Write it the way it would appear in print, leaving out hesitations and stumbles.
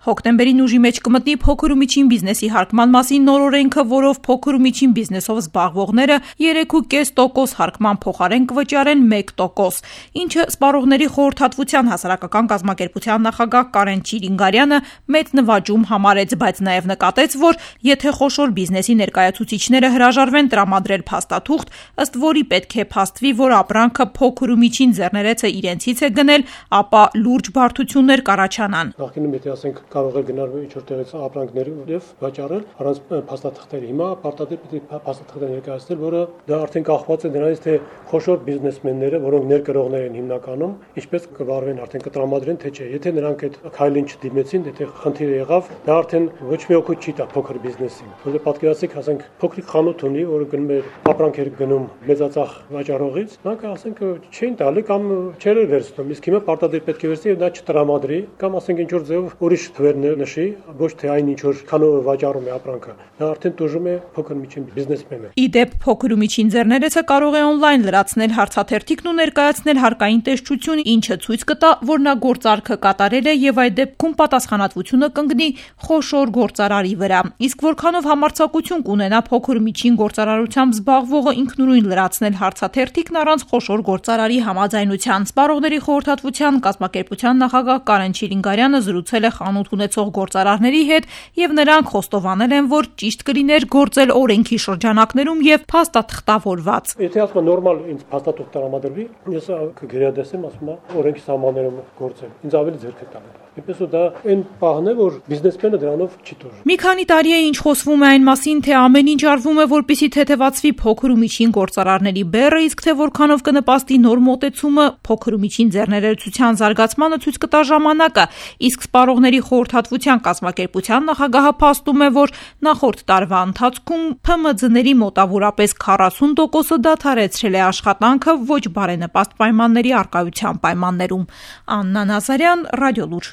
Հոկտեմբերին ուժի մեջ կմտնի փոքր ու միջին բիզնեսի հարկման մասին նոր օրենքը, որով փոքր ու միջին բիզնեսով զբաղվողները 3,5% հարկման փոխարեն կվճարեն 1%, ինչը Սպառողների խորհրդատվության հասարակական կազմակերպության նախագահ Կարեն Չիլինգարյանը մեծ նվաճում համարեց, բայց նաև նկատեց, որ եթե խոշոր բիզնեսի ներկայացուցիչները հրաժարվեն տրամադրել փաստաթուղթ, ըստ որի պետք է փաստվի, որ ապրանքը փոքր ու միջին ձեռներեցը իրենցից է գնել, ապա լուրջ բարդություններ կառաջանան։ Կարող է գնալ ինչ-որ տեղից ապրանքներ եւ վաճառել առանց փաստաթղթերի։ Հիմա պարտադիր պետք է փաստաթղթեր ներկայացնել, որը դա արդեն կախված է դրանից, թե խոշոր բիզնեսմենները, որոնք ներկրողներ են հիմնականում, ինչպես կվարվեն, արդեն կտրամադրեն, թե չէ։ Եթե նրանք այդ քայլին չդիմեցին, եթե խնդիր եղավ, դա արդեն ոչ մի օգուտ չի տա փոքր բիզնեսին։ Որովհետեւ պատկերացրեք, ասենք փոքրիկ խանութ ունի, որը գնում է ապրանքեր գնում մեծածախ վաճառողից, նրանք ասենք չէին տալի կամ չեր վերցնում։ Իսկ հիմա պարտադիր պետք է վերցնի եւ դա չտրամադրի, կամ ասենք ինչ-որ ձեւով ուրիշ թվեր նշի, ոչ թե այն ինչ որ քանով վաճառում է ապրանքը, դա արդեն տուժում է փոքր միջին բիզնեսմենը։ Իդեպ փոքր ու միջին ձեռներեցը կարող է օնլայն լրացնել հարցաթերթիկն ու ներկայացնել հարկային տեսչություն, ինչը ցույց կտա, որ նա գործարքը կատարել է եւ այդ դեպքում պատասխանատվությունը կընկնի խոշոր գործարարի վրա։ Իսկ որքանով համարձակություն կունենա փոքր ու միջին գործարարությամբ զբաղվողը ինքնուրույն լրացնել հարցաթերթիկն առանց խոշոր գործարարի համաձայնության։ Սպառողների խորհրդատվության կազմակերպության նախագահ Կարեն Չիլինգարյանը զրուցել է խանութ ունեցող գործարարների հետ եւ նրանք խոստովանել են, որ ճիշտ կլիներ գործել օրենքի շրջանակներում եւ փաստաթղթավորված։ Եթե ասում նորմալ ինձ փաստաթուղթ տրամադրվի, ես կգերադասեմ, ասում օրենքի սահմաններում գործել։ Ինձ ավելի ձեռք է տալու։ Իպես ու դա այն պահն է, որ բիզնեսմենը դրանով չի տուժում։ Մի քանի տարի է ինչ խոսվում է այն մասին, թե ամեն ինչ արվում է, որպեսզի թեթևացվի փոքր ու միջին գործարարների բեռը, իսկ թե որքանով կնպաստի նոր մոտեցումը փոքր ու միջին ձեռներեցության զարգացմանը ցույց կտա ժամանակը, իսկ Սպառողների խորհրդատվության կազմակերպության նախագահը փաստում է, որ նախորդ տարվա ընթացքում ՓՄՁ-ների մոտավորապես 40%-ը դադարեցրել է աշխատանքը ոչ բարենպաստ պայմանների առկայության պայմաններում։ Աննա Նազարյան, Ռադիոլուր։